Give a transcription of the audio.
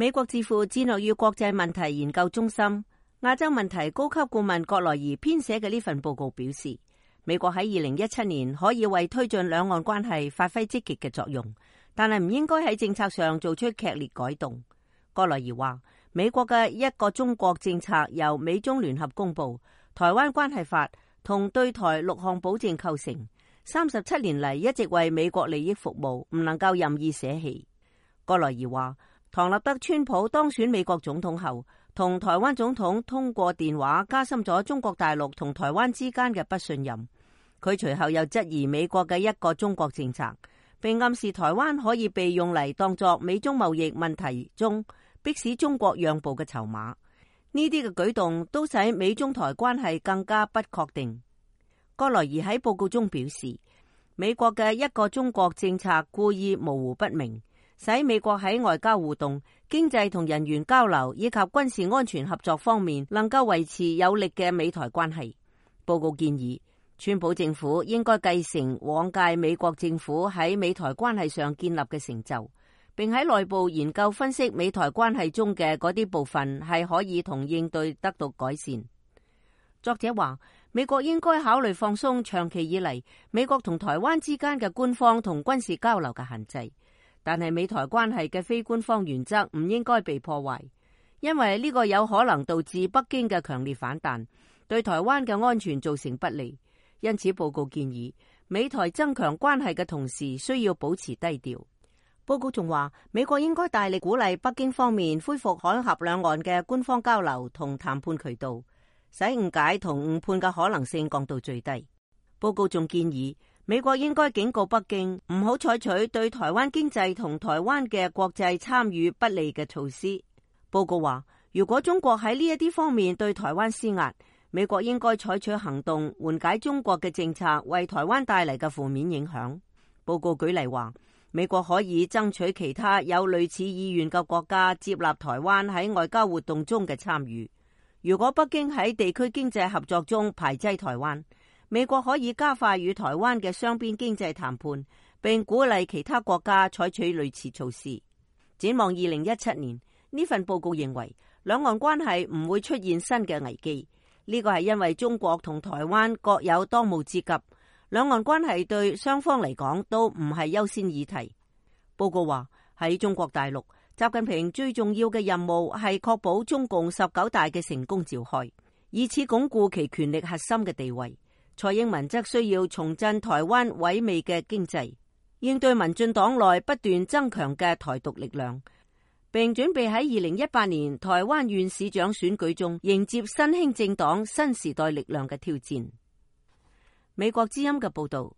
美國智庫戰略與國際問題研究中心亞洲問題高級顧問葛萊儀編寫嘅呢份報告表示，美國喺2017年可以為推進兩岸關係發揮積極嘅作用，但係唔應該喺政策上做出劇烈改動。葛萊儀話，美國嘅一個中國政策由美中聯合公布，台灣關係法同對台6項保證構成，37年嚟一直為美國利益服務，唔能夠任意捨棄。葛萊儀話，唐納德·川普當選美國總統後，同台灣總統通過電話，加深咗中國大陸同台灣之間嘅不信任。佢隨後又質疑美國嘅一個中國政策，並暗示台灣可以被用嚟當作美中貿易問題中迫使中國讓步嘅籌碼。呢啲嘅舉動都使美中台關係更加不確定。葛萊儀喺報告中表示，美國嘅一個中國政策故意模糊不明，使美國喺外交互動、經濟同人員交流以及軍事安全合作方面能夠維持有力嘅美台關係。報告建議，川普政府應該繼承往屆美國政府喺美台關係上建立嘅成就，並喺內部研究分析美台關係中嘅嗰啲部分係可以同應對得到改善。作者話，美國應該考慮放鬆長期以嚟美國同台灣之間嘅官方同軍事交流嘅限制，但係美台關係嘅非官方原則唔應該被破壞，因為呢個有可能導致北京嘅強烈反彈，對台灣嘅安全造成不利。因此報告建議，美台增強關係嘅同時需要保持低調。報告仲話，美國應該大力鼓勵北京方面恢復海峽兩岸嘅官方交流同談判渠道，使誤解同誤判嘅可能性降到最低。報告仲建議，美國應該警告北京唔好採取對台灣經濟同台灣嘅國際參與不利嘅措施。報告話，如果中國喺呢一啲方面對台灣施壓，美國應該採取行動緩解中國嘅政策為台灣帶嚟嘅負面影響。報告舉例話，美國可以爭取其他有類似意願嘅國家接納台灣喺外交活動中嘅參與。如果北京喺地區經濟合作中排擠台灣，美國可以加快與台灣嘅雙邊經濟談判，並鼓勵其他國家採取類似措施。展望2017年，呢份報告認為兩岸關係唔會出現新嘅危機。呢個係因為中國同台灣各有當務之急，兩岸關係對雙方嚟講都唔係優先議題。報告話，喺中國大陸，習近平最重要嘅任務係確保中共19大嘅成功召開，以此鞏固其權力核心嘅地位。蔡英文則需要重振台灣萎靡嘅經濟，應對民進黨內不斷增強嘅台獨力量，並準備喺2018年台灣縣市長選舉中迎接新興政黨新時代力量嘅挑戰。美國之音嘅報道。